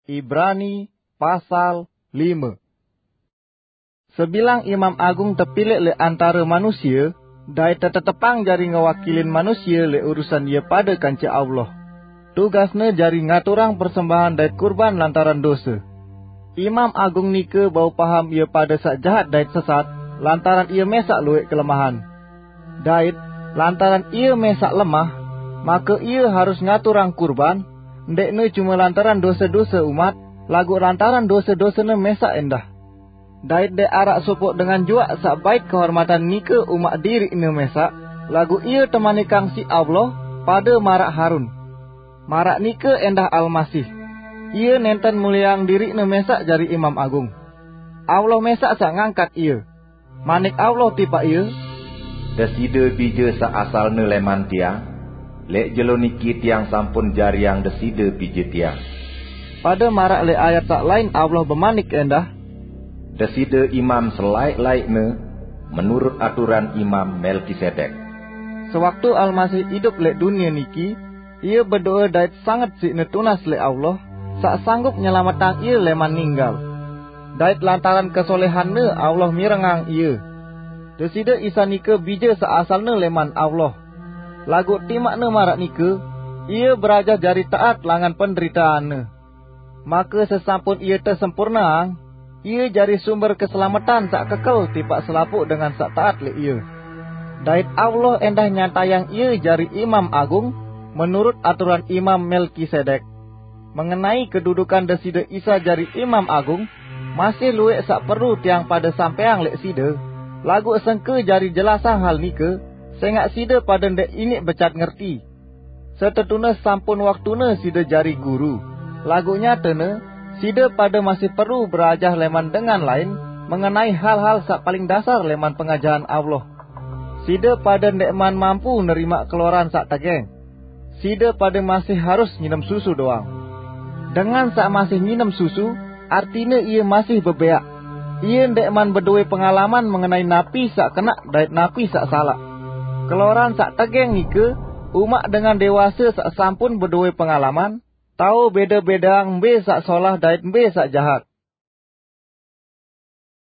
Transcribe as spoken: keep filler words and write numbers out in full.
Ibrani pasal lima. Sebilang imam agung tepilik lek antara manusia, dait tetetepang jari ngewakilin manusia lek urusan ia pada kance Allah. Tugasne jari ngaturang persembahan dait kurban lantaran dosa. Imam agung nike bau paham ia pada saq jahat dait sesat, lantaran ia mesaq lueq kelemahan. Dait, lantaran ia mesaq lemah, make ia harus ngaturang kurban, ndeqne cume lantaran dose-dose umat, laguq lantaran dose-dosene mesaq endah. Dait ndeq araq sopoq dengan juaq saq bait kehormatan nike umaq diriqne mesaq, laguq ie temanikang siq Allah pade maraq Harun. Maraq nike endah Almasih. Ie nenten mulieang diriqne mesaq jari Imam Agung. Allah mesaq saq ngangkat ie. Manik Allah tipaq ie, "Deside bije saq asalne leman Tiang, leq jelo niki Tiang sampun jariang Deside bije Tiang." Pade maraq leq ayat saq lain Allah bemanik endah, "Deside imam selaeq-laeqne menurut aturan Imam Melkisedek." Sewaktu Almasih idup leq dunie niki, ie bedoe dait sanget siqne tunas leq Allah, saq sanggup nyelametang ie leman ninggal. Dait lantaran kesolehanne Allah mirengang ie. Deside Isa nike bije saq asalne leman Allah. Laguq timaqne maraq nike, ie berajah jari taat langan penderitaanne. Make sesampun ie tesempurneang, ie jari sumber keselametan saq kekel tipaq selapuq dengan saq taat leq ie. Dait Allah endah nyatayang ie jari Imam Agung menurut aturan Imam Melkisedek. Mengenai kedudukan Deside Isa jari Imam Agung, masih lueq saq perlu tiang pade sampeang leq side, laguq sengke jari jelasang hal nike, sengaq side pade ndeq iniq becat ngerti. Setetune sampun waktune side jari guru, laguq nyatene side pade masih perlu berajah leman dengan lain mengenai hal-hal saq paling dasar leman pengajahan Allah. Side pade ndeqman mampu nerimaq keloran saq tegeng. Side pade masih harus nginem susu doang. Dengan saq masih nginem susu, artine ie masih bebeaq. Ie ndeqman bedoe pengalaman mengenai napi saq kenaq dait napi saq salaq. Keloran saq tegeng nike umaq dengan dewase saq sampun bedoe pengalaman, tao bede-bedeang mbe saq solah dait mbe saq jahat.